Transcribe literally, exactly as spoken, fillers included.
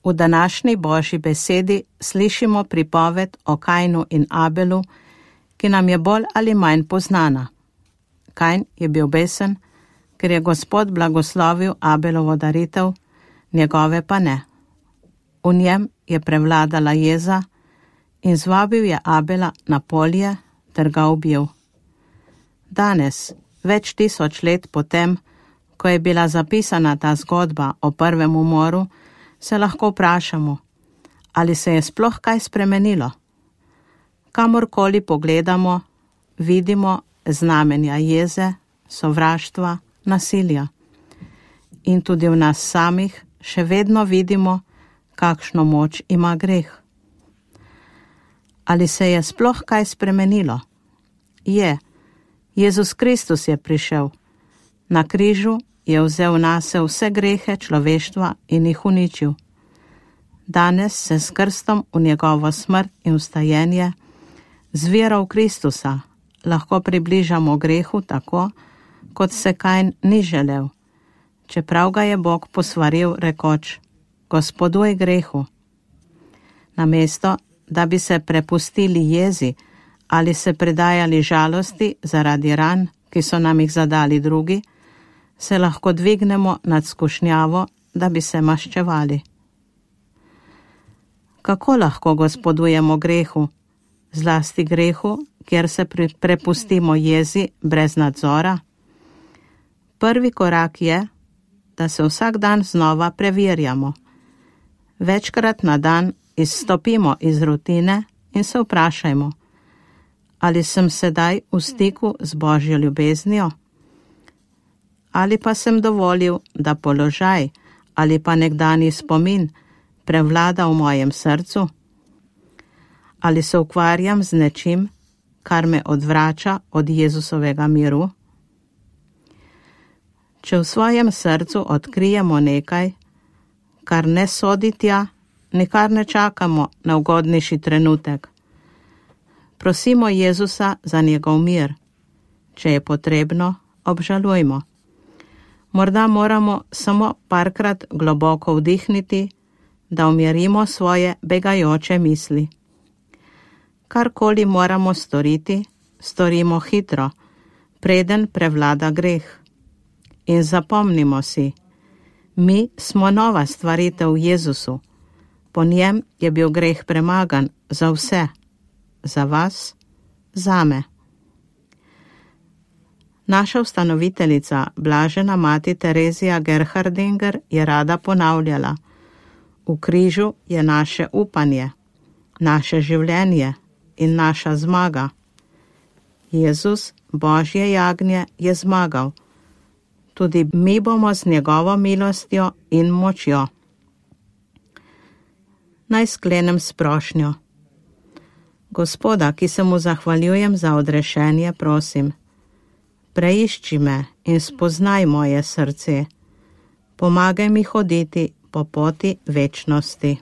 V današnji Božji besedi slišimo pripoved o Kainu in Abelu, ki nam je bolj ali manj poznana. Kain je bil besen, ker je Gospod blagoslovil Abelovo daritev, njegove pa ne. V njem je prevladala jeza in zvabil je Abela na polje ter ga ubil. Danes, več tisoč let potem, ko je bila zapisana ta zgodba o prvem umoru, se lahko vprašamo, ali se je sploh kaj spremenilo. Kamorkoli pogledamo, vidimo znamenja jeze, sovraštva, nasilja. In tudi v nas samih še vedno vidimo, kakšno moč ima greh. Ali se je sploh kaj spremenilo? Je. Jezus Kristus je prišel. Na križu je vzel nase vse grehe človeštva in jih uničil. Danes se s krstom v njegovo smrt in vstajenje, z vero v Kristusa, lahko približamo grehu tako, kot se Kain ni želel, čeprav ga je Bog posvaril rekoč: Gospoduj grehu. Namesto, da bi se prepustili jezi ali se predajali žalosti zaradi ran, ki so nam jih zadali drugi, se lahko dvignemo nad skušnjavo, da bi se maščevali. Kako lahko gospodujemo grehu, zlasti grehu, kjer se prepustimo jezi brez nadzora? Prvi korak je, da se vsak dan znova preverjamo. Večkrat na dan izstopimo iz rutine in se vprašajmo, ali sem sedaj v stiku z Božjo ljubeznijo? Ali pa sem dovolil, da položaj ali pa nekdanji spomin prevlada v mojem srcu? Ali se ukvarjam z nečim, kar me odvrača od Jezusovega miru? Če v svojem srcu odkrijemo nekaj, kar ne sodi tja, nikar ne čakamo na ugodnejši trenutek. Prosimo Jezusa za njegov mir. Če je potrebno, obžalujmo. Morda moramo samo parkrat globoko vdihniti, da umirimo svoje begajoče misli. Karkoli moramo storiti, storimo hitro, preden prevlada greh. In zapomnimo si, mi smo nova stvaritev v Jezusu. Po njem je bil greh premagan za vse. Za vas, zame. Naša ustanoviteljica, blažena mati Terezija Gerhardinger, je rada ponavljala: v križu je naše upanje, naše življenje in naša zmaga. Jezus, Božje jagnje, je zmagal. Tudi mi bomo z njegovo milostjo in močjo. Naj sklenem s prošnjo. Gospoda, ki se mu zahvaljujem za odrešenje, prosim, preišči me in spoznaj moje srce. Pomagaj mi hoditi po poti večnosti.